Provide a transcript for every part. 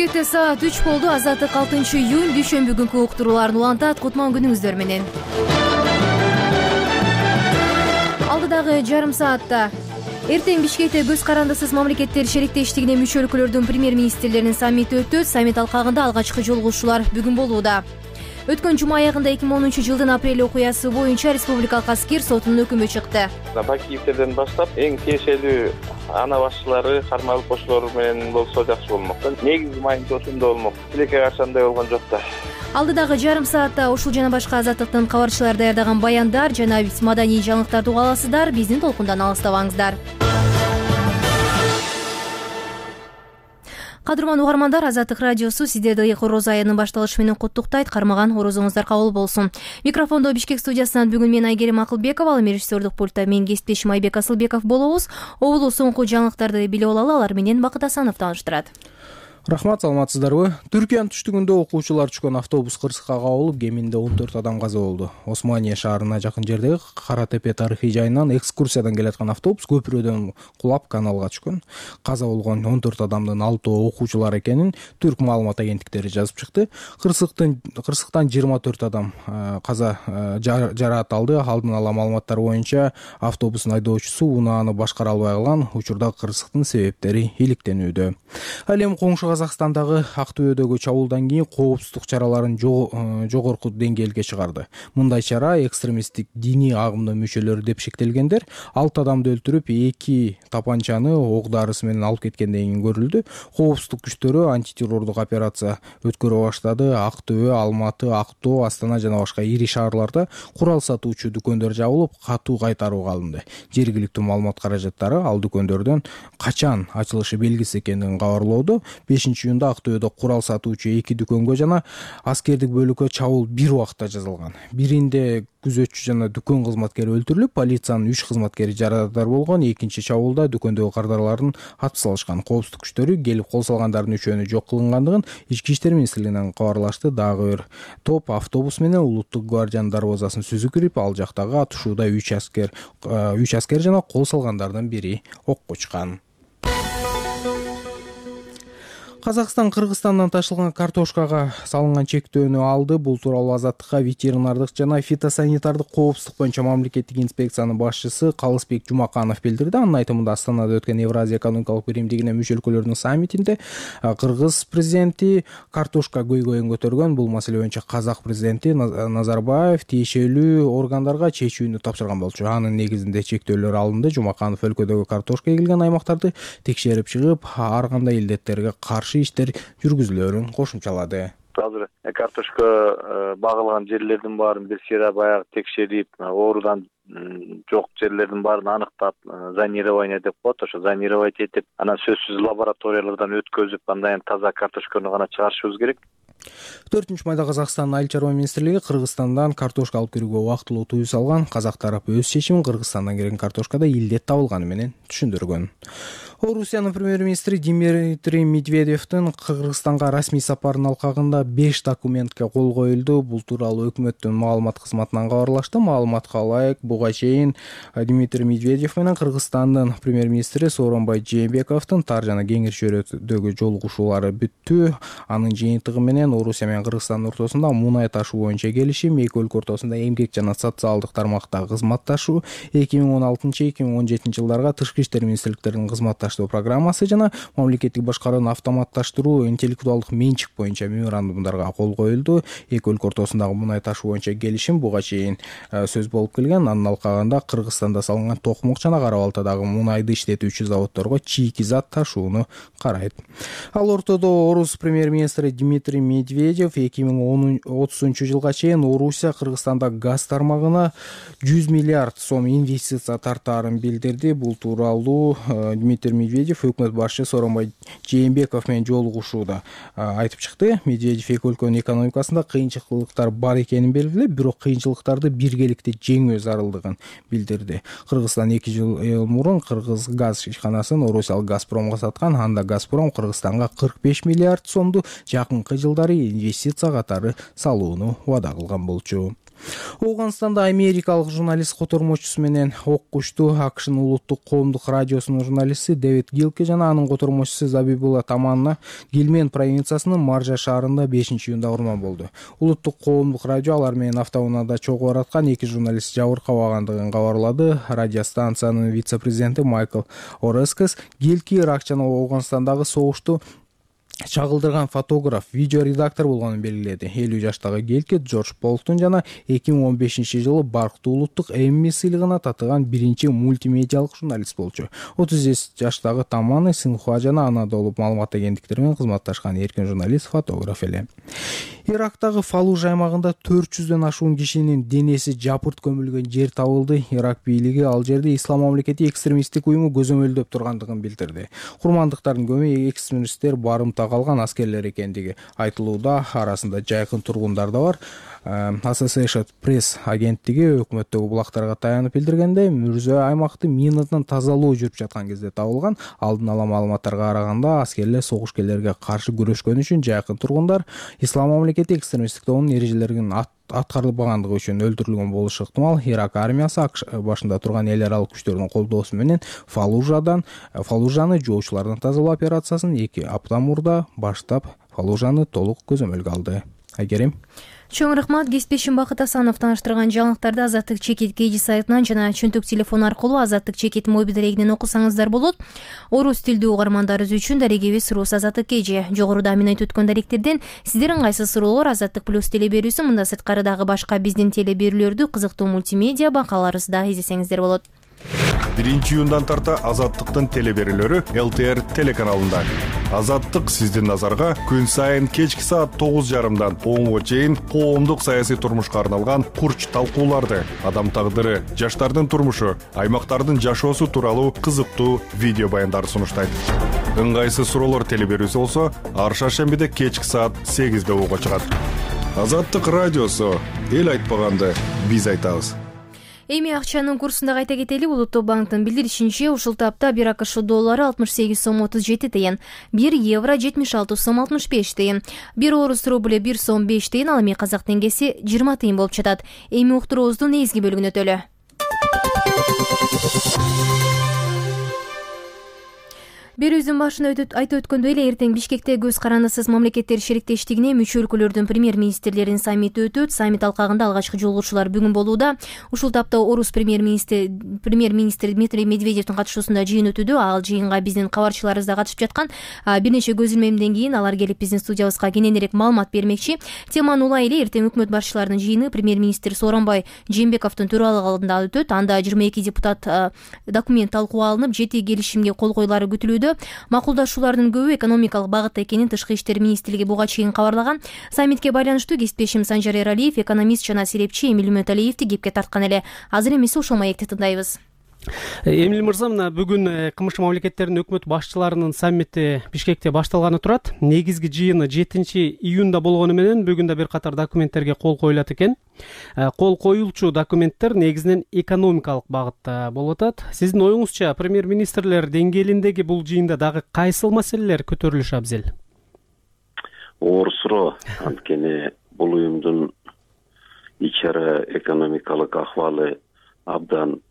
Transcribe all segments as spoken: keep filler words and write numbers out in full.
Бишкекте саат үч болду. Азаттык алтынчы июнь дүйшөмбү күнкү уктурууларын улантат. Кутман күнүңүздөр менен. Алдыдагы жарым саатта эртең Бишкекте көз карандысыз мамлекеттер шериктештигине мүчө өлкөлөрдүн премьер-министрлеринин саммити өтөт. Саммит алкагында алгачкы жолугушуулар бүгүн болууда. Өткөн жума аягында эки миң онунчу жылдын апрель окуясы боюнча республикалык аскер сотунун өкүмү чыкты. Бакиевдерден баштап эң тиешелүү ана башчылары, кармалып кошулор менен болсо жакшы болмок. Негизи маекти ошондо болмок. Тилекке каршы андай болгон жок да. Алдыдагы жарым саатта ушул жана башка азаттыктын кабарчылары даярдаган баяндар жана маданий жаңылыктарды уга аласыздар. Биздин толкундан алыстабаңыздар. Кадырман угармандар, Азаттык радиосу сиздерди Орозо айынын башталышы менен куттуктайт. Кармаган орозоңуздар кабыл болсун. Микрофондо Бишкек студиясынан бүгүн мен Айгерим Акылбекова, ал режиссердик пультта мен кесиптешим Айбек Асылбеков болобуз. Обулу соңку жаңылыктарды билип алалы, алар менен Бакыт Асанов тааныштырат. Рахмат, саламатсыздарбы? Түркиянын түштүгүндө окуучулар түшкөн автобус кырсыкка кабылып, кеминде он төрт адам каза болду. Османия шаарына жакын жердеги Кара Тепе тарыхый жайынан экскурсиядан келаткан автобус көпүрөдөн кулап каналга түшкөн. Каза болгон он төрт адамдын алтоо окуучулар экенин түрк маалымат агенттиктери жазып чыкты. Кырсыктын кырсыктан жыйырма төрт адам каза жараат алды. Алдын ала маалыматтар боюнча автобустун айдоочусу унааны башкара албай калган. Учурда кырсыктын себептери иликтенүүдө. Ал эми коңшу Казакстандагы Актөбөдөгү чабуулдан кийин коопсуздук чараларын жогорку деңгээлге чыгарды. Мындай чара экстремисттик диний агымдын мүчөлөрү деп шектелгендер алты адамды өлтүрүп, эки тапанчаны ок дарысы менен алып кеткенден кийин көрүлдү. Коопсуздук күчтөрү антитеррордук операция өткөрө баштады. Актөбө, Алматы, Актоо, Астана жана башка ири шаарларда курал сатуучу дүкөндөр жабылып, катуу кайтарууга алынды. Жергиликтүү маалымат каражаттары ал дүкөндөрдөн качан ачылышы белгисиз экендигин кабарлоодо. бешинчи июнда Актөбөдө курал сатуучу эки дүкөнгө жана аскердик бөлүккө чабуул бир убакта жасалган. Биринде күзөтчү жана дүкөн кызматкери өлтүрүлүп, полициянын үч кызматкери жарааттар болгон. Экинчи чабуулда дүкөндөгү кардарларын атып салышкан. Коопсуздук күчтөрү келип кол салгандардын үчөөнү жок кылынгандыгын Ички иштер министрлигинен кабарлашты. Дагы бир топ автобус менен Улуттук гвардиянын дарбазасын сүзүп кирип, ал жактагы атышууда үч аскер үч аскер жана кол салгандардын бири окко учкан. Казакстан Кыргызстандан ташылган картошкага салынган чектөөнү алды. Бул тууралуу Азаттыкка ветеринардык жана фитосанитардык коопсуздук боюнча мамлекеттик инспекциянын башчысы Калысбек Жумаканов билдирди. Анын айтымында Астанада өткөн Евразия экономикалык биримдигине мүчө өлкөлөрдүн саммитинде Кыргыз президенти картошка көйгөйүн көтөргөн. Бул маселе боюнча Казак президенти Назарбаев тиешелүү органдарга чечүүнү тапшырган болчу. Анын негизинде чектөөлөр алынды. Жумаканов өлкөдөгү картошка эгилген аймактарды текшерип чыгып, ар кандай илдеттерге каршы иштер жүргүзүлөөрүн кошумчалады. Азыр картошка багылган жерлердин баарын бир сыйра баягы текшерип, оорудан жок жерлердин баарын аныктап, зонирование деп коет, ошо зонировать этип, анан сөзсүз лабораториялардан өткөзүп, андан таза картошканы гана чыгарышыбыз керек. төртүнчү майда Казакстандын Айыл чарба министрлиги Кыргызстандан картошка алып кирүүгө убактылуу тыюу салган. Казак тарапы өз чечимин Кыргызстандан келген картошкада илдет табылганы менен түшүндүргөн. Орусиянын премьер-министри Дмитрий Медведевдин Кыргызстанга расмий сапарынын алкагында беш документке кол коюлду. Бул тууралуу өкмөттүн маалымат кызматынан кабарлашты. Маалыматка ылайык, буга чейин Дмитрий Медведев менен Кыргызстандын премьер-министри Сооронбай Жээнбековдун тар жана кеңир чөйрөдөгү жолугушуулары бүттү. Анын жыйынтыгы менен Орусия менен Кыргызстандын ортосунда мунай ташуу боюнча келишим, эки өлкө ортосунда эмгек жана социалдык тармактагы кызматташуу, эки миң он алтынчы эки миң он жетинчи жылдарга тышкы иштер министрликтеринин кызматташуу программасы жана мамлекеттик башкарууну автоматташтыруу, интеллектуалдык менчик боюнча меморандумдарга кол коюлду. Эки өлкө ортосундагы мунай ташуу боюнча келишим буга чейин сөз болуп келген. Анын алкагында Кыргызстанда салынган Токмок жана Кара Балтадагы мунайды иштетүүчү заводдорго чийки зат ташууну карайт. Ал ортодо Орус премьер-министри Дмитрий Медведев эки миң отузунчу жылга чейин Орусия Кыргызстанда газ тармагына жүз миллиард сом инвестиция тартаарын билдирди. Бул тууралуу Дмитрий Медведев өкмөт башчысы Сооронбай Жээнбеков менен жолугушууда айтып чыкты. Медведев эки өлкөнүн экономикасында кыйынчылыктар бар экенин белгилеп, бирок кыйынчылыктарды биргеликте жеңүү зарылдыгын билдирди. Кыргызстан эки жыл мурун Кыргыз газ ишканасын Орусиялык Газпромго саткан. Анда Газпром Кыргызстанга кырк беш миллиард сомду жакынкы жылдары инвестиция катары салууну убада кылган болчу. Ооганстанда америкалык журналист котормочусу менен оккушту. АКШнын улуттук коомдук радиосунун журналисти Дэвид Гилке жана анын котормочусу Забибулла Таманна Гилмен провинциясынын Маржа шаарында бешинчи июнда урман болду. Улуттук коомдук радио алар менен автоунаада чогуу бараткан эки журналист жабыркабагандыгын кабарлады. Радиостанциянын вице-президенти Майкл Орескес Гилки Ирак жана Ооганстандагы согушту чагылдырган фотограф, видео редактор болгонун белгиледи. элүү жаштагы Гелке Джордж Полктун жана эки миң он бешинчи жылы Барктуу улуттук Эмми сыйлыгына татыган биринчи мультимедиалык журналист болчу. отуз беш жаштагы Таманы Синхуа жана Анадолу маалымат агенттиктери менен кызматташкан эркин журналист, фотограф эле. Ирактагы Фаллужа аймагында төрт жүздөн ашуун кишинин денеси жапырт көмүлгөн жер табылды. Ирак бийлиги ал жерде Ислам мамлекети экстремисттик уюму көзөмөлдөп тургандыгын билдирди. Курмандыктардын көбү экстремисттер барымта калган аскерлер экендиги айтылууда. Арасында жайкын тургундар да бар. Associated Press агенттиги өкмөттөгү булактарга таянып билдиргенде, мүрзө аймакты минадан тазалоо жүрүп жаткан кезде табылган. Алдын ала маалыматтарга караганда, аскерлер согушкерлерге каршы күрөшкөн үчүн жайкын тургундар Ислам мамлекети экстремисттик тобунун эрежелерин аткарылбагандыгы үчүн өлтүрүлгөн болушу ыктымал. Ирак армиясы АКШ башында турган эл аралык күчтөрдүн колдоосу менен Фаллужадан Фаллужаны жоочулардан тазалоо операциясын эки апта мурда баштап, Фаллужаны толук көзөмөлгө алды. Айгерим. Чоң рахмат. Кесиптешим Бакыт Асанов тааныштырган жаңылыктарды Азаттык Чекит кей жи сайтынан жана чөнтөк телефон аркылуу Азаттык Чекит мобил дарегинен окусаңыздар болот. Орус тилдүү угармандарыбыз үчүн дарегибиз Рус Азаттык кей жи. Жогоруда мен айтып өткөн даректерден сиздердин кайсы суроолор Азаттык плюс телеберүүсү мында сырткары дагы башка биздин телеберүүлөрдү кызыктуу мультимедиа бакаларыбызда излесеңиздер болот. биринчи июндан тарта Азаттыктын телеберүүлөрү эл тэ эр телеканалында. Азаттык сиздин назарга күн сайын кечки саат тогуз жарымдан онго чейин коомдук саясий турмушка арналган курч талкууларды, адам тагдыры, жаштардын турмушу, аймактардын жашоосу тууралуу кызыктуу видео баяндар сунуштайт. Ыңгайсыз суроолор телеберүүсү болсо, ар шаршембиде кечки саат сегизде угууга чыгат. Азаттык радиосу, эл айтпаганды биз айтабыз. Эми акчанын курсунда кайта кетели. Улуттук банктын билдиришинче, ушул тапта бир АКШ доллары алтымыш сегиз сом отуз жети тыйын, бир евро жетимиш алты сом алтымыш беш тыйын, бир орус рубль бир сом беш тыйын, ал эми казак теңгеси жыйырма тыйын болуп жатат. Эми уктуруубуздун негизги бөлүгүнө өтөлү. Берүүбүздүн башында айтып өткөндөй эле, эртең Бишкекте көз карандысыз мамлекеттер шериктештигине мүчө өлкөлөрдүн премьер-министрлеринин саммити өтөт. Саммит алкагында алгачкы жолугушуулар бүгүн болууда. Ушул тапта орус премьер-министри премьер-министри Дмитрий Медведевдин катышуусунда жыйын өтүүдө. Ал жыйынга биздин кабарчыларыбыз да катышып жаткан. Бир нече көз илмемден кийин алар келип биздин студиябызга кененирээк маалымат бермекчи. Теманы улай эле, эртең өкмөт башчыларынын жыйыны премьер-министр Сооронбай Жээнбековдун төралыгында өтөт. Анда жыйырма эки депутат документ талкууга алынып, жети келишимге кол коюлары күтүлүүдө. Макулдашуулардын көбү экономикалык багытта экенин Тышкы иштер министрлиги буга чейин кабарлаган. Саммитке байланыштуу кесиптешим Санжар Эралиев экономист жана серепчи Эмиль Үмөталиевди кепке тарткан эле. Азыр эмесе ушул маекти тыңдайбыз. Эмиль мырза, мына бүгүн КМШ мамлекеттеринин өкмөт башчыларынын саммити Бишкекте башталганы турат. Негизги жыйыны жетинчи июнда болгону менен бүгүн да бир катар документтерге кол коюлат экен. Кол коюлчу документтер негизинен экономикалык багытта болуп атат. Сиздин оюңузча, премьер-министрлер деңгээлиндеги бул жыйында дагы кайсыл маселелер көтөрүлүшү абзел? Оор суроо. Анткени бул уюмдун ичара экономикалык ахвалы абдан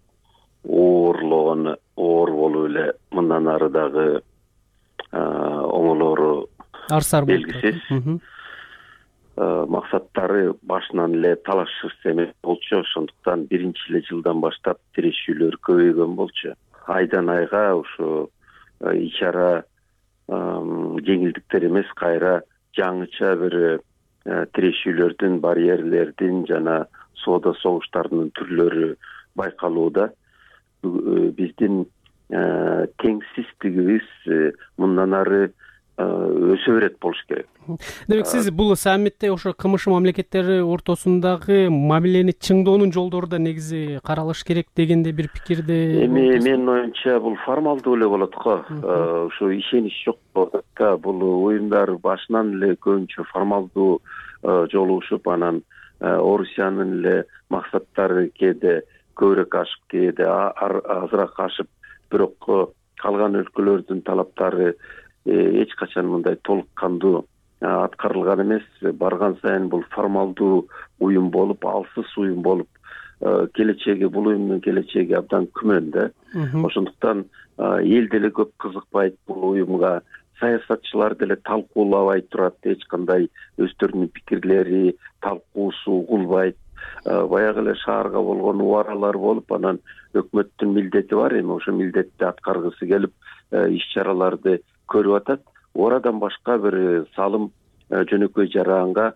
оорлогон, оор болуп эле мындан ары дагы оңолору арсар белгисиз. Максаттары башынан эле талашсыз эмес болчу. Ошондуктан биринчи эле жылдан баштап тирешүүлөр көбөйгөн болчу. Айдан айга ушу ичара жеңилдиктер эмес, кайра жаңыча бир тирешүүлөрдүн, барьерлердин жана соода согуштардын түрлөрү байкалууда. Биздин теңсиздигибиз мындан ары өсө берет болуш керек. Демек, сиз бул саммитте ошо КМШ мамлекеттери ортосундагы мамилени чыңдоонун жолдору да негизи каралыш керек дегенде бир пикирде. Эми менин оюмча бул формалдуу эле болот го. Ушу ишенич жок болот да. Бул уюмдар башынан эле көбүнчө формалдуу жолугушуп, анан Орусиянын эле максаттары кээде көбүрөөк ашып, кээде азыраак ашып, бирок калган өлкөлөрдүн талаптары эч качан мындай толук кандуу аткарылган эмес. Барган сайын бул формалдуу уюм болуп, алсыз уюм болуп, келечеги бул уюмдун келечеги абдан күмөн да. Ошондуктан эл деле көп кызыкпайт бул уюмга, саясатчылар деле талкуулабай турат, эч кандай өздөрүнүн пикирлери, талкуусу угулбайт. Баягы эле шаарга болгон убаралар болуп, анан өкмөттүн милдети бар, эми ошо милдетти аткаргысы келип иш чараларды көрүп атат. Орадан башка бир салым жөнөкөй жараганга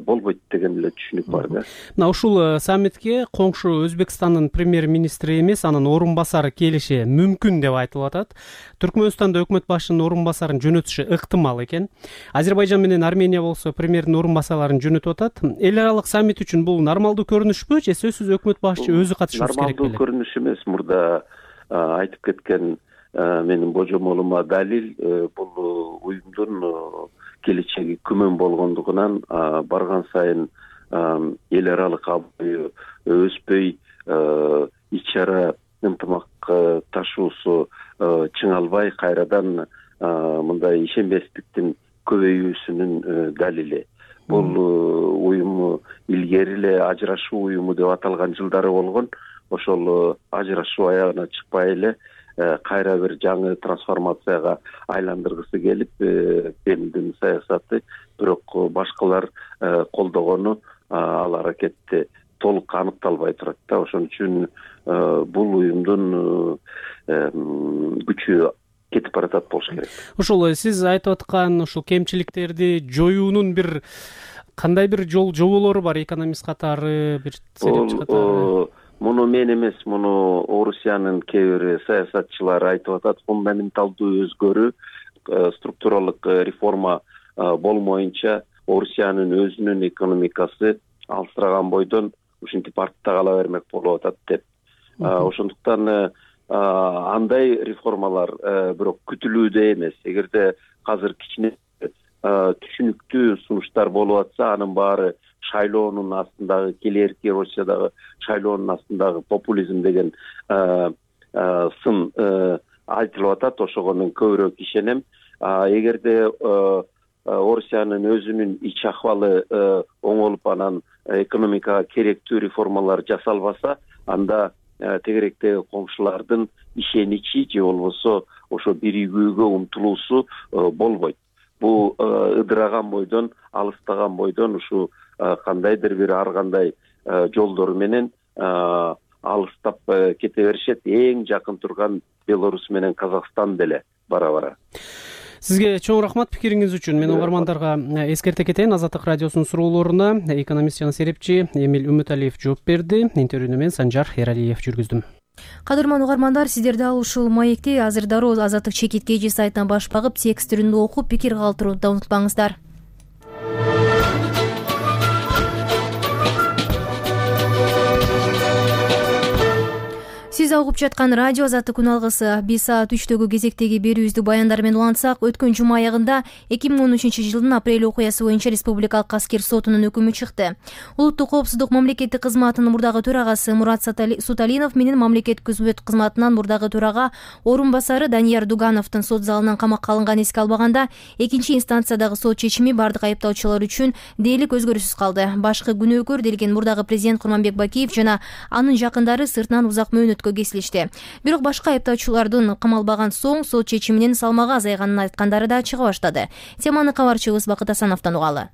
болбойт деген эле түшүнүк бар да. Мына ушул саммитке коңшу Өзбекстандын премьер-министри эмес, анын орун басары келиши мүмкүн деп айтылып атат. Түркмөнстанда өкмөт башчынын орун басарын жөнөтүшү ыктымал экен. Азербайжан менен Армения болсо премьердин орун басарларын жөнөтүп атат. Эл аралык саммит үчүн бул нормалдуу көрүнүшпү же сөзсүз өкмөт башчы өзү катышышы керек беле? Нормалдуу көрүнүш эмес. Мурда айтып кеткен менин божомолума далил бул уюмдун келечеги күмөн болгондугунан барган сайын эл аралык абалы өспөй, ич чара ынтымак ташуусу чыңалбай, кайрадан мындай ишенбестиктин көбөйүүсүнүн далили. Бул уюм илгери эле ажырашуу уюму деп аталган жылдары болгон. Ошол ажырашуу аягына чыкпай эле кайра бир жаңы трансформацияга айландыргысы келип, Кремлдин саясаты, бирок башкалар колдогону ал аракетти толук аныкталбай турат да. Ошон үчүн бул уюмдун күчү кетип баратат болуш керек. Ошол сиз айтып аткан ушул кемчиликтерди жоюунун бир кандай бир жол жоболору бар, экономист катары, бир серепчи катары? Муну мен эмес, муну Орусиянын кээ бир саясатчылар айтып атат. Фундаменталдуу өзгөрүү, структуралык реформа болмоюнча Орусиянын өзүнүн экономикасы алыстыраган бойдон ушинтип артта кала бермек болуп атат деп. Ошондуктан андай реформалар бирок күтүлүүдө эмес. Эгерде азыр кичине түшүнүктүү сунуштар болуп атса, анын баары шайлоонун астындагы, келерки Россиядагы шайлоонун астындагы популизм деген сын айтылып атат. Ошого мен көбүрөөк ишенем. Эгерде Орусиянын өзүнүн ич акыбалы оңолуп, анан экономикага керектүү реформалар жасалбаса, анда тегеректеги коңшулардын ишеничи же болбосо ошо биригүүгө умтулуусу болбойт. Бул ыдыраган бойдон, алыстаган бойдон ушу кандайдыр бир ар кандай жолдор менен алыстап кете беришет. Эң жакын турган Беларусь менен Казакстан деле бара-бара. Сизге чоң рахмат пикириңиз үчүн. Мен угармандарга эскерте кетейин. Азаттык радиосунун суроолоруна экономист жана серепчи Эмиль Үмүталиев жооп берди. Интервьюну мен Санжар Эралиев жүргүздүм. Кадырман угармандар, сиздер дал ушул маекти азыр дароо Азаттык чекит кей жи сайтынан баш багып, текст түрүндө окуп, пикир калтырууну унутпаңыздар. Сиз угуп жаткан радио Азаттык күн алгысы. Биз саат үчтөгү кезектеги берүүбүздү баяндар менен улантсак, өткөн жума аягында эки миң он үчүнчү жылдын апрель окуясы боюнча Республикалык аскер сотунун өкүмү чыкты. Улуттук коопсуздук мамлекеттик кызматынын мурдагы төрагасы Мурат Суталинов менен мамлекеттик күзмөт кызматынан мурдагы төрага орун басары Данияр Дугановдун сот залынан камакка алынганын эске албаганда, экинчи инстанциядагы сот чечими бардык айыптоочулар үчүн дээрлик өзгөрүүсүз калды. Башкы күнөөкөр делген мурдагы президент Курманбек Бакиев жана анын жакындары сыртынан узак мөөнөткө кесилишти. Бирок башка айыптоочулардын камалбаган соң сот чечиминин салмагы азайганын айткандары да чыга баштады. Теманы кабарчыбыз Бакыт Асановдон угалы.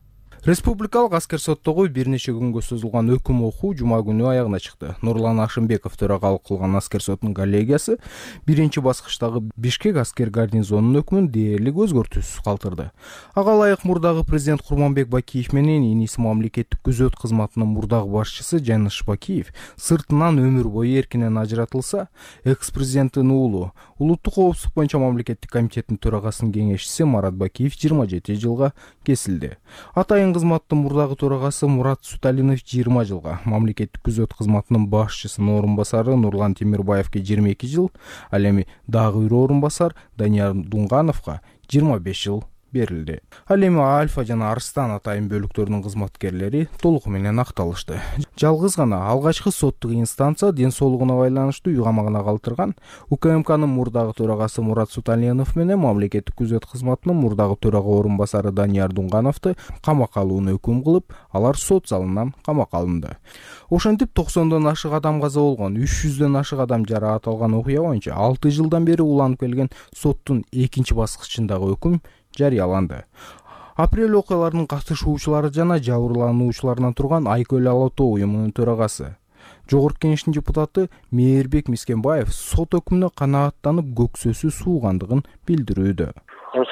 Республикалык аскер соттогу бир нече күнгө созулган өкүм окуу жума күнү аягына чыкты. Нурлан Ашымбеков төрагалык кылган аскер сотунун коллегиясы биринчи баскычтагы Бишкек аскер гарнизонунун өкүмүн дээрлик өзгөртүүсүз калтырды. Ага ылайык мурдагы президент Курманбек Бакиев менен иниси мамлекеттик күзөт кызматынын мурдагы башчысы Жаныш Бакиев сыртынан өмүр бою эркинен ажыратылса, экс-президенттин уулу улуттук коопсуздук боюнча мамлекеттик комитеттин төрагасынын кеңешчиси Марат Бакиев жыйырма жети жылга кесилди. Атайын кызматтын мурдагы төрагасы Мурат Суталинов жыйырма жылга, мамлекеттик күзөт кызматынын башчысынын орун басары Нурлан Темирбаевке жыйырма эки жыл, ал эми дагы бир орун басар Данияр Дугановго жыйырма беш жыл берилди. Ал эми Альфа жана Арстан атайын бөлүктөрүнүн кызматкерлери толугу менен акталышты. Жалгыз гана алгачкы соттук инстанция ден соолугуна байланыштуу үй камагына калтырган УКМКнын мурдагы төрагасы Мурат Суталиянов менен мамлекеттик күзөт кызматынын мурдагы төрага орун басары Данияр Дунгановду камакка алууну өкүм кылып, алар сот залынан камакка алынды. Ошентип токсондон ашык адам каза болгон, үч жүздөн ашык адам жараат алган окуя боюнча алты жылдан бери уланып келген соттун экинчи баскычындагы өкүм жарыяланды. Апрель окуяларынын катышуучулары жана жабырлануучуларынан турган Айкөл Ала Тоо уюмунун төрагасы, Жогорку Кеңештин депутаты Мээрбек Мискенбаев сот өкүмүнө канааттанып көксөсү суугандыгын билдирүүдө.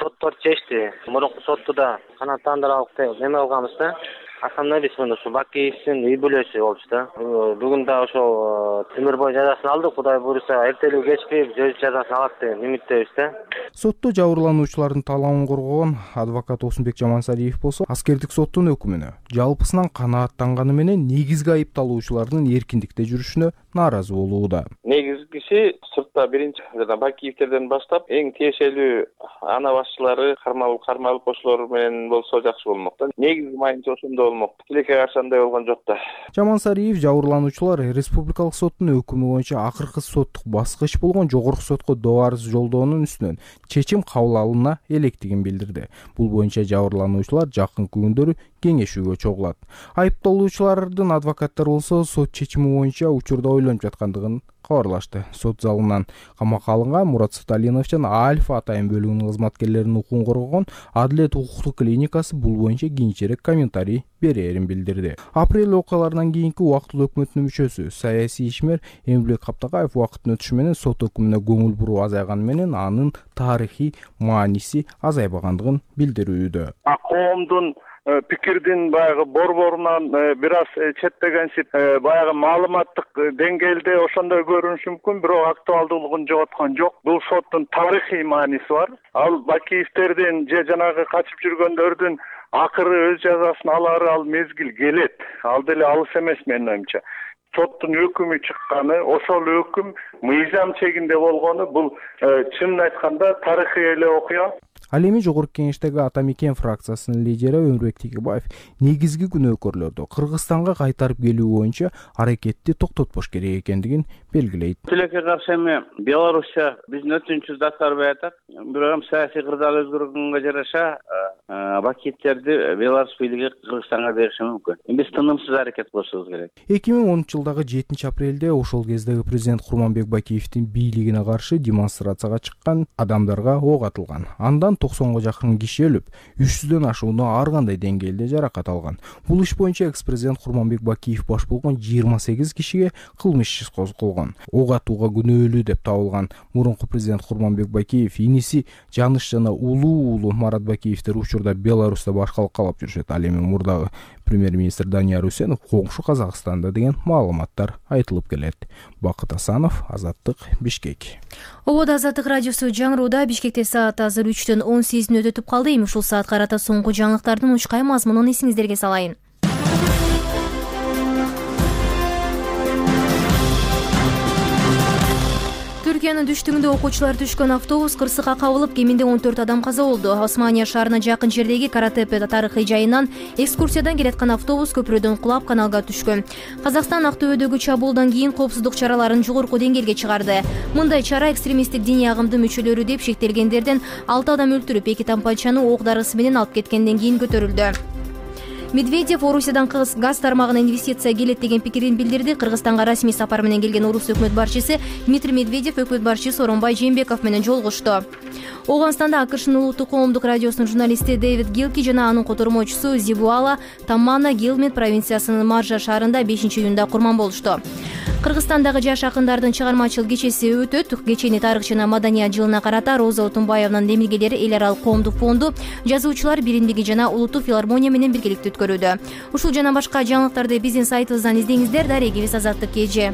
Соттор чечти. Мурунку сотто да канааттандырып алып неме алганбыз да. Основной мына ушу Бакиевдин үй бүлөсү болчу да. Бүгүн да ошол темир бой жазасын алдык. Кудай буйруса, эртелүү кечпей өз жазасын алат деп үмүттөбүз да. Сотто жабырлануучулардын талабын коргогон адвокат Осунбек Жамансариев болсо, аскердик соттун өкүмүнө жалпысынан канааттанганы менен негизги айыпталуучулардын эркиндикте жүрүшүнө нааразы болууда. Негизгиси сыртта биринчи жана Бакиевтерден баштап эң тиешелүү ана башчылары кармалып кармалып кошулор менен болсо жакшы болмок да. Негизги майынча ошондо болмок. Тилекке каршы андай болгон жок да. Жамансариев жабырлануучулар республикалык соттун өкүмү боюнча акыркы соттук баскыч болгон жогорку сотко доо арыз жолдоонун үстүнөн чечим кабыл алына электигин билдирди. Бул боюнча жабырлануучулар жакынкы күндөрү кеңешүүгө чогулат. Айыпталуучулардын адвокаттары болсо сот чечими боюнча учурда ойлонуп жаткандыгын кабарлашты. Сот залынан камакка алынган Мурат Суталиянов жана Альфа атайын бөлүгүнүн кызматкерлеринин укугун коргогон Адилет укуктук клиникасы бул боюнча кийинчерээк комментарий берерин билдирди. Апрель окуяларынан кийинки убактылуу өкмөттүн мүчөсү, саясий ишмер Эмилбек Каптакаев убакыттын өтүшү менен сот өкүмүнө көңүл буруу азайганы менен анын тарыхый мааниси азайбагандыгын билдирүүдө. Коомдун пикирдин баягы борборунан бир аз четтегенсип, баягы маалыматтык деңгээлде ошондой көрүнүшү мүмкүн, бирок актуалдуулугун жоготкон жок. Бул соттун тарыхый мааниси бар. Ал Бакиевтердин же жанагы качып жүргөндөрдүн акыры өз жазасын алары ал мезгил келет. Ал деле алыс эмес менин оюмча. Соттун өкүмү чыкканы, ошол өкүм мыйзам чегинде болгону бул чынын айтканда тарыхый эле окуя. Ал эми Жогорку Кеңештеги Ата Мекен фракциясынын лидери Өмүрбек Текебаев негизги күнөөкөрлөрдү Кыргызстанга кайтарып келүү боюнча аракетти токтотпош керек экендигин белгилейт. Тилекке каршы эми Белоруссия биздин өтүнүчүбүздү аткарбай атат. Бирок саясий кырдаал өзгөргөнгө жараша Бакиевтерди Беларусь бийлиги Кыргызстанга бериши мүмкүн. Биз тынымсыз аракет кылышыбыз керек. эки миң онунчу жылдагы жетинчи апрелде ошол кездеги президент Курманбек Бакиевдин бийлигине каршы демонстрацияга чыккан адамдарга ок атылган. Андан токсонго жакын киши өлүп, үч жүздөн ашууну ар кандай деңгээлде жаракат алган. Бул иш боюнча экс-президент Курманбек Бакиев баш болгон жыйырма сегиз кишиге кылмыш иш козголгон. Ок атууга күнөөлүү деп табылган мурунку президент Курманбек Бакиев иниси Жаныш жана улуу уулу Марат Бакиевтер учурда Беларуста башкалык каалап жүрүшөт. Ал эми мурдагы премьер-министр Данияр Үсенов коңшу Казакстанда деген маалыматтар айтылып келет. Бакыт Асанов, Азаттык, Бишкек. Ободо Азаттык радиосу жаңырууда. Бишкекте саат азыр үчтөн он сегиз мүнөт өтүп калды. Эми ушул саатка карата соңку жаңылыктардын учкай мазмунун эсиңиздерге салайын. Түркиянын түштүгүндө окуучулар түшкөн автобус кырсыкка кабылып, кеминде он төрт адам каза болду. Османия шаарына жакын жердеги Каратепе тарыхый жайынан экскурсиядан келаткан автобус көпүрөдөн кулап каналга түшкөн. Казакстан Актөбөдөгү чабуулдан кийин коопсуздук чараларын жогорку деңгээлге чыгарды. Мындай чара экстремисттик диний агымдын мүчөлөрү деп шектелгендерден алты адам өлтүрүп, эки тампанчаны ок дарысы менен алып кеткенден кийин көтөрүлдү. Медведев Орусиядан газ тармагына инвестиция келет деген пикирин билдирди. Кыргызстанга расмий сапар менен келген орус өкмөт башчысы Дмитрий Медведев өкмөт башчысы Сооронбай Жээнбеков менен жолугушту. Оганстанда АКШнын улуттук коомдук радиосунун журналисти Дэвид Гилки жана анын котормочусу Зибуала Таммана Гилмет провинциясынын Маржа шаарында бешинчи июнда курман болушту. Кыргызстандагы жаш акындардын чыгармачыл кечеси өтөт. Кечени тарых жана маданият жылына карата Роза Отунбаевнын демилгелери эл аралык коомдук фонду, жазуучулар биримдиги жана улуттук филармония менен биргеликте өткөрүүдө. Ушул жана башка жаңылыктарды биздин сайтыбыздан издеңиздер. Дарегибиз Азаттык эже.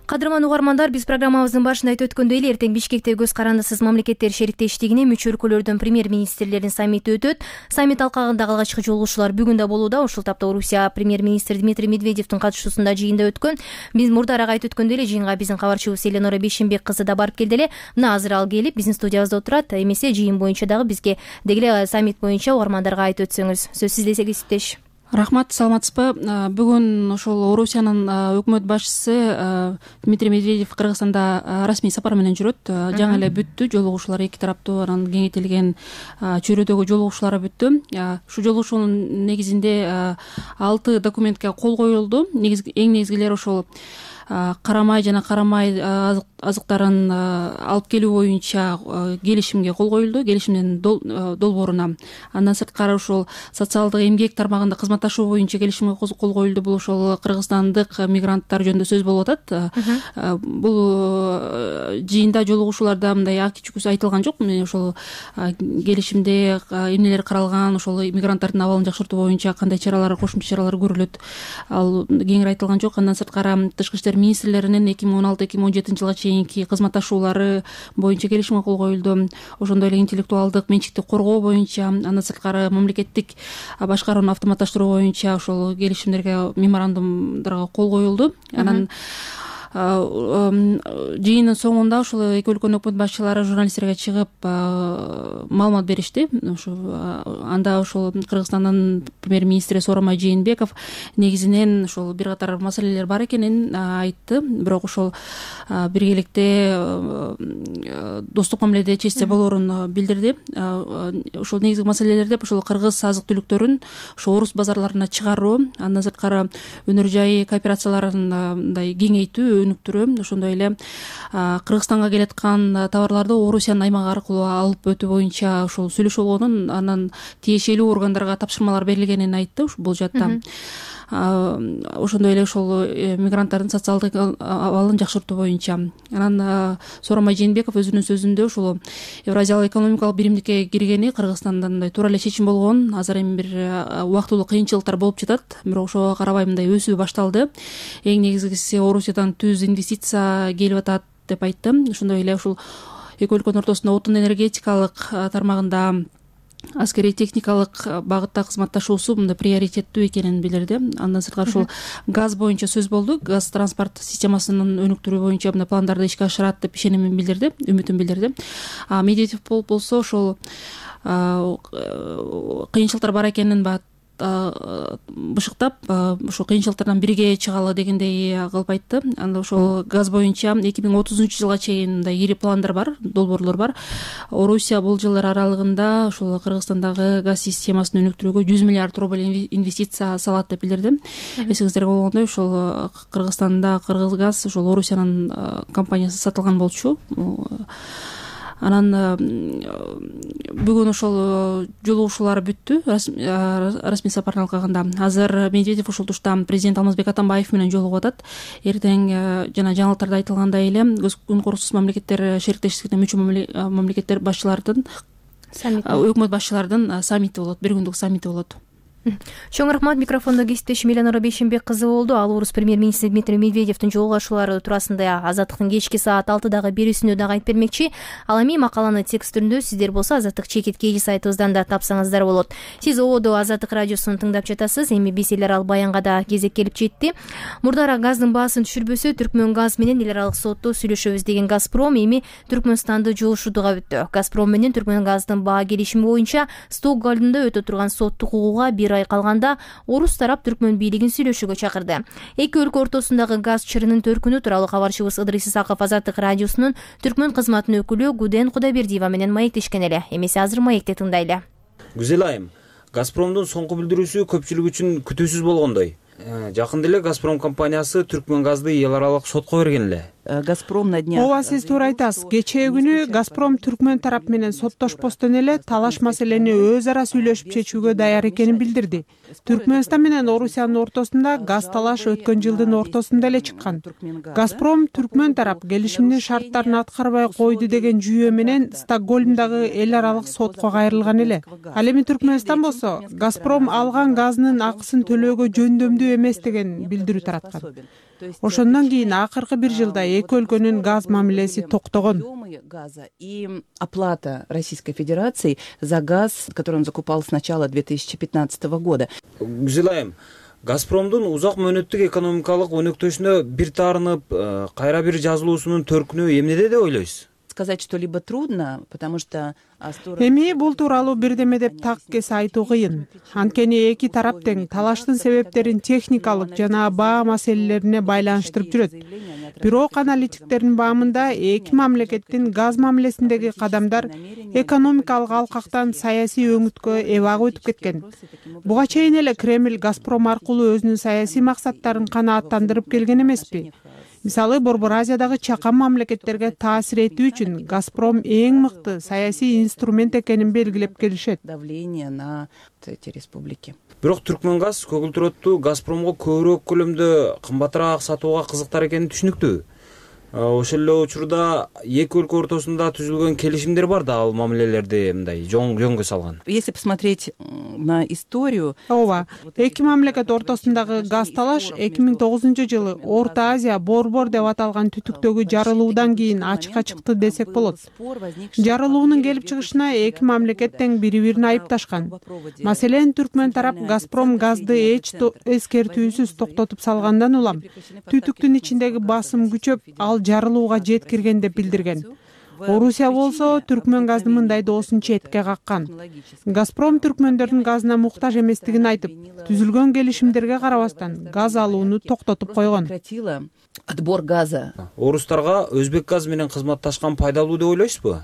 Кадырман угармандар, биз программабыздын башында айтып өткөндөй эле эртең Бишкекте көз карандысыз мамлекеттер шериктештигине мүчө өлкөлөрдүн премьер-министрлеринин саммити өтөт. Саммит алкагындагы алгачкы жолугушуулар бүгүн да болууда. Ушул тапта Орусия премьер-министри Дмитрий Медведевдин катышуусунда жыйында өткөн. Биз мурдараак айтып өткөндөй эле жыйынга биздин кабарчыбыз Эленора Бейшенбек кызы да барып келди эле. Мына азыр ал келип биздин студиябызда отурат. Эмесе жыйын боюнча дагы бизге деги эле саммит боюнча угармандарга айтып өтсөңүз. Сөз сизде, кесиптеш. Рахмат, саламатсызбы? Бүгүн ошол Орусиянын өкмөт башчысы Дмитрий Медведев Кыргызстанда расмий сапар менен жүрөт. Жаңы эле бүттү жолугушуулар, эки тараптуу анан кеңейтилген чөйрөдөгү жолугушуулар бүттү. Ушул жолугушуунун негизинде алты документке кол коюлду. Эң негизгилери ошол карамай жана карамай азыктарын алып келүү боюнча келишимге кол коюлду, келишимдин долбооруна. Андан сырткары ошол социалдык эмгек тармагында кызматташуу боюнча келишимге кол коюлду. Бул ошол кыргызстандык мигранттар жөнүндө сөз болуп атат. Бул жыйында, жолугушууларда мындай ак-чүкүс айтылган жок. Ошол келишимде эмнелер каралган, ошол мигранттардын абалын жакшыртуу боюнча кандай чаралар, кошумча чаралар көрүлөт, ал кеңири айтылган жок. Андан сырткары тышкы иштер министрлеринин эки миң он алты эки миң он жетинчи жылга чейинки кызматташуулары боюнча келишимге кол коюлду. Ошондой эле интеллектуалдык менчикти коргоо боюнча, андан сырткары мамлекеттик башкарууну автоматташтыруу боюнча ошол келишимдерге, меморандумдарга кол коюлду. Анан жыйындын соңунда ошол эки өлкөнүн өкмөт башчылары журналисттерге чыгып маалымат беришти. Анда ошол Кыргызстандын премьер-министри Сооронбай Жээнбеков негизинен ошол бир катар маселелер бар экенин айтты. Бирок ошол биргеликте достук мамиледе чечсе болоорун билдирди. Ошол негизги маселелер деп ошол кыргыз азык-түлүктөрүн ошол орус базарларына чыгаруу, андан сырткары өнөр жай кооперацияларын мындай кеңейтүү, өнүктүрүү, ошондой эле Кыргызстанга келаткан товарларды Орусиянын аймагы аркылуу алып өтүү боюнча ошол сүйлөшүү болгонун, анан тиешелүү органдарга тапшырмалар берилгенин айтты бул жакта. Ошондой эле ошол мигранттардын социалдык абалын жакшыртуу боюнча. Анан Сооронбай Жээнбеков өзүнүн сөзүндө ошол Евразиялык экономикалык биримдикке киргени Кыргызстанда мындай туура эле чечим болгон, азыр эми бир убактылуу кыйынчылыктар болуп жатат, бирок ошого карабай мындай өсүү башталды. Эң негизгиси Орусиядан түз инвестиция келип атат деп айтты. Ошондой эле ушул эки өлкөнүн ортосунда отун энергетикалык тармагында аскерий техникалык багытта кызматташуусу мындай приоритеттүү экенин билдирди. Андан сырткары ошол газ боюнча сөз болду. Газ транспорт системасынын өнүктүрүү боюнча мындай пландарды ишке ашырат деп ишенимин билдирди, үмүтүн билдирди. Медведев болсо ошол кыйынчылыктар бар экенин бышыктап, ошол кыйынчылыктардан бирге чыгалы дегендей кылып айтты. Анда ошол газ боюнча эки миң отузунчу жылга чейин мындай ири пландар бар, долбоорлор бар. Орусия бул жылдар аралыгында ошол Кыргызстандагы газ системасын өнүктүрүүгө жүз миллиард рубль инвестиция салат деп билдирди. Эсиңиздерге болгондой, ошол Кыргызстанда Кыргызгаз ошол Орусиянын компаниясы сатылган болчу. Анан бүгүн ошол жолугушуулар бүттү, расмий сапардын алкагында. Азыр Медведев ошол тушта президент Алмазбек Атамбаев менен жолугуп атат. Эртең жана жаңылыктарда айтылгандай эле Күн корусуз мамлекеттер шериктештигине мүчө мамлекеттер башчылардын өкмөт башчылардын саммити болот, бир күндүк саммити болот. Чоң рахмат. Микрофондо кесиптешим Эленора Бейшенбек кызы болду. Ал орус премьер-министри Дмитрий Медведевдин жолугушуулары туурасында Азаттыктын кечки саат алтыдагы берүүсүндө дагы айтып бермекчи. Ал эми макаланы текст түрүндө сиздер болсо Азаттык чекит кей сайтыбыздан да тапсаңыздар болот. Сиз ободо Азаттык радиосун тыңдап жатасыз. Эми биз эл аралык баянга да кезек келип жетти. Мурдара газдын баасын түшүрбөсө Түркмөн газ менен эл аралык сотто сүйлөшөбүз деген Газпром эми Түркмөнстанды жолушуудуга бүттү. Газпром менен Түркмөн газдын баа келишими боюнча Стокгольмдо өтө турган соттук угууга бир ай калганда орус тарап Түркмөн бийлигин сүйлөшүүгө чакырды. Эки өлкө ортосундагы газ чырынын төркүнү тууралуу кабарчыбыз Ыдрис Исаков Азаттык радиосунун Түркмөн кызматынын өкүлү Гуден Кудайбердиева менен маектешкен эле. Эмесе азыр маекте тыңдайлы. Гүзел айым, Газпромдун соңку билдирүүсү көпчүлүк үчүн күтүүсүз болгондой. Жакында эле Газпром компаниясы Түркмөн газды эл аралык сотко берген эле. Газпром на днях. Ооба, сиз туура айтасыз. Кечээ күнү Газпром Түркмөн тарап менен соттошпостон эле талаш маселени өз ара сүйлөшүп чечүүгө даяр экенин билдирди. Түркмөнстан менен Орусиянын ортосунда газ талаш өткөн жылдын ортосунда эле чыккан. Газпром Түркмөн тарап келишимдин шарттарын аткарбай койду деген жүйө менен Стокгольмдагы эл аралык сотко кайрылган эле. Ал эми Түркмөнстан болсо Газпром алган газынын акысын төлөөгө жөндөмдүү эмес деген билдирүү тараткан. Ошондон кийин акыркы бир жылда эки өлкөнүн газ мамилеси токтогон. И оплата Российской Федерации за газ, который он закупал с начала две тысячи пятнадцатого года. Гүзел айым, Газпромдун узак мөөнөттүк экономикалык өнөктөшүнө бир таарынып, кайра бир жазылуусунун төркүнү эмнеде деп ойлойсуз? Сказать что-либо трудно, потому что эми бул тууралуу бирдеме деп так кесе айтуу кыйын. Анткени эки тарап тең талаштын себептерин техникалык жана баа маселелерине байланыштырып жүрөт. Бирок аналитиктердин баамында эки мамлекеттин газ мамилесиндеги кадамдар экономикалык алкактан саясий өңүткө эбак өтүп кеткен. Буга чейин эле Кремль Газпром аркылуу өзүнүн саясий максаттарын канааттандырып келген эмеспи? Мисалы, Борбор Азиядагы чакан мамлекеттерге таасир этүү үчүн Газпром эң мыкты саясий инструмент экенин белгилеп келишет. Давление на эти республики. Бирок Түркмөнгаз көгүлтүр отту Газпромго көбүрөөк көлөмдө кымбатыраак сатууга кызыктар экени түшүнүктүү. Ошол эле учурда эки өлкө ортосунда түзүлгөн келишимдер бар да, ал мамилелерди мындай жөнгө салган. Если посмотреть на историю, ооба, эки мамлекет ортосундагы газ талаш эки миң тогузунчу жылы Орто Азия борбор деп аталган түтүктөгү жарылуудан кийин ачыкка чыкты десек болот. Жарылуунун келип чыгышына эки мамлекет тең бири-бирин айыпташкан. Маселен, Түркмөн тарап Газпром газды эч эскертүүсүз токтотуп салгандан улам түтүктүн ичиндеги басым күчөп, ал жарылууга жеткирген деп билдирген. Орусия болсо Түркмөн газды мындай доосун четке каккан. Газпром түркмөндөрдүн газына муктаж эместигин айтып, түзүлгөн келишимдерге карабастан газ алууну токтотуп койгон. Отбор газа. Орустарга Өзбек газ менен кызматташкан пайдалуу деп ойлойсузбу?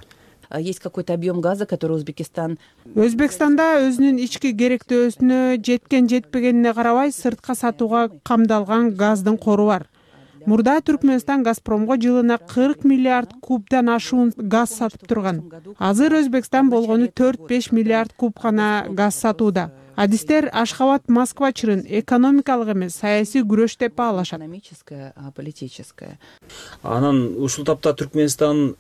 Есть какой-то объем газа, который Узбекистан. Өзбекстанда өзүнүн ички керектөөсүнө жеткен жетпегенине карабай сыртка сатууга камдалган газдын кору бар. Мурда Түркмөнстан Газпромго жылына кырк миллиард кубдан ашуун газ сатып турган. Азыр Өзбекстан болгону төрт-беш миллиард куб гана газ сатууда. Адистер Ашхабад Москва чырын экономикалык эмес, саясий күрөш деп баалашат. Экономическое, политическое. Анан ушул тапта Түркмөнстан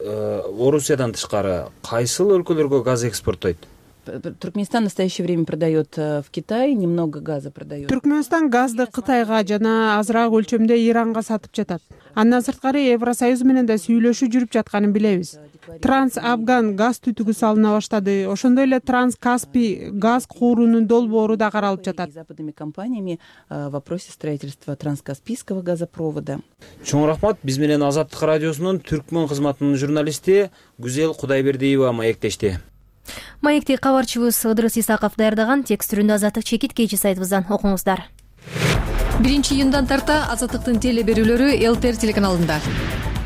Орусиядан тышкары кайсыл өлкөлөргө газ экспорттойт? Туркменистан в настоящее время продает в Китай, немного газа продает. Түркмөнстан газды Кытайга жана азыраак өлчөмдө Иранга сатып жатат. Андан сырткары Евросоюз менен да сүйлөшүү жүрүп жатканын билебиз. Транс-Афган газ түтүгү салына баштады. Ошондой эле Транс-Каспий газ куурунун долбоору да каралып жатат. Западными компаниями в вопросе строительства Транскаспийского газопровода. Чоң рахмат. Биз менен Азаттык радиосунун Түркмөн кызматынын журналисти Гүзел Кудайбердиева маектешти. Маекти кабарчыбыз Ыдырыс Исаков даярдаган. Текст түрүндө Азаттык чекит кечи сайтыбыздан окуңуздар. биринчи июндан тарта Азаттыктын теле берүүлөрү эл тэ эр телеканалында.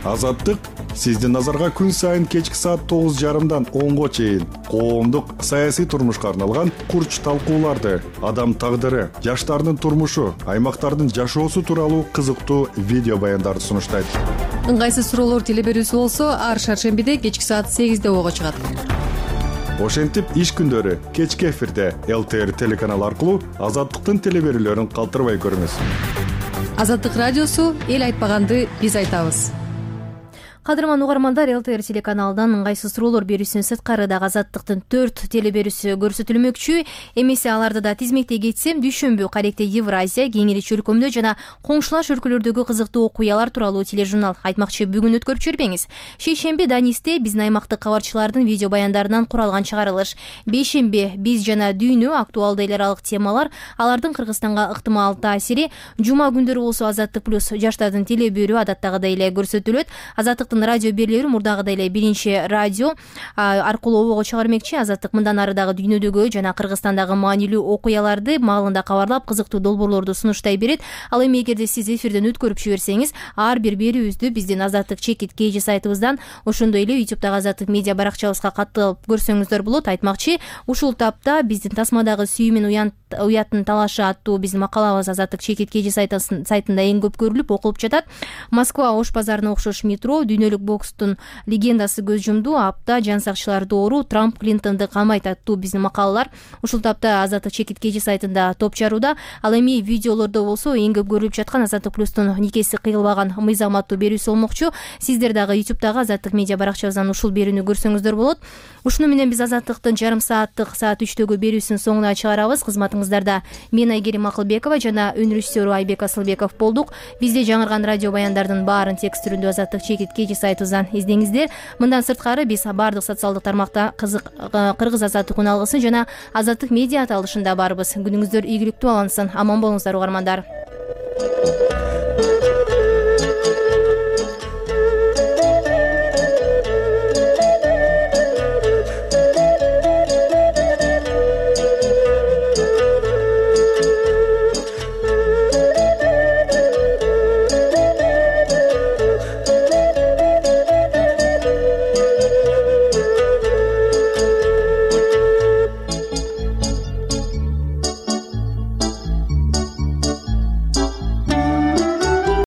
Азаттык сиздин назарга күн сайын кечки саат тогуз жарымдан онго чейин коомдук саясий турмушка арналган курч талкууларды, адам тагдыры, жаштардын турмушу, аймактардын жашоосу тууралуу кызыктуу видео баяндарды сунуштайт. Ыңгайсыз суроолор теле берүүсү болсо ар шаршембиде кечки саат сегизде ого чыгат. Ошентип иш күндөрү кечки эфирде эл тэ эр телеканалы аркылуу Азаттыктын теле берүүлөрүн калтырбай көрүңүз. Азаттык радиосу эл айтпаганды биз айтабыз. Кадырман угармандар, эл тэ эр телеканалынан ыңгайсыз суроолор берүүсүнүн сырткары да Азаттыктын төрт теле берүүсү көрсөтүлмөкчү. Эмесе аларды да тизмектей кетсем, дүйшөмбү Каректе Евразия, Кеңири чөлкөмдө жана коңшулаш өлкөлөрдөгү кызыктуу окуялар тууралуу тележурнал айтмакчы бүгүн өткөрүп жибербеңиз. Шейшемби Данисте биздин аймактык кабарчылардын видео баяндарынан куралган чыгарылыш. Бейшемби биз жана дүйнө актуалдуу эл аралык темалар, алардын Кыргызстанга ыктымал таасири. Жума күндөрү болсо Азаттык плюс жаштардын теле берүү адаттагыдай эле көрсөтүлөт. Азаттыктын радио берүүлөрү мурдагыдай эле биринчи радио аркылуу обого чыгармекчи. Азаттык мындан ары дагы дүйнөдөгү жана Кыргызстандагы маанилүү окуяларды маалында кабарлап, кызыктуу долбоорлорду сунуштай берет. Ал эми эгерде сиз эфирден өткөрүп жиберсеңиз, ар бир берүүбүздү биздин Азаттык чекит кей сайтыбыздан, ошондой эле ютубтагы Азаттык медиа баракчабызга катталып көрсөңүздөр болот. Айтмакчы, ушул тапта биздин тасмадагы сүйүү менен уян уяттын талашы аттуу биздин макалабыз азаттык чекит kg сайтында эң көп көрүлүп окулуп жатат. Москва ош базарына окшош метро, дүйнөлүк бокстун легендасы көз жумду, апта жан сакчылар доору, Трамп Клинтонду камайт аттуу биздин макалалар ушул тапта азаттык чекит kg сайтында топ жарууда. Ал эми видеолордо болсо эң көп көрүлүп жаткан Азаттык плюстун никеси кыйылбаган мыйзам аттуу берүүсү болмокчу. Сиздер дагы ютубтагы Азаттык медиа баракчабыздан ушул берүүнү көрсөңүздөр болот. Ушуну менен биз Азаттыктын жарым сааттык саат үчтөгү берүүсүнүн соңуна чыгарабыз. Кызматыңыздарда мен Айгерим Акылбекова жана өн режиссеру Айбек Асылбеков болдук. Бизде жаңырган радио баяндардын баарын текст түрүндө Азаттык чекит kg сайтыбыздан издеңиздер. Мындан сырткары биз баардык социалдык тармакта кызык кыргыз азаттык уналгысын жана Азаттык медиа аталышында барбыз. Күнүңүздөр ийгиликтүү алынсын. Аман болуңуздар угармандар.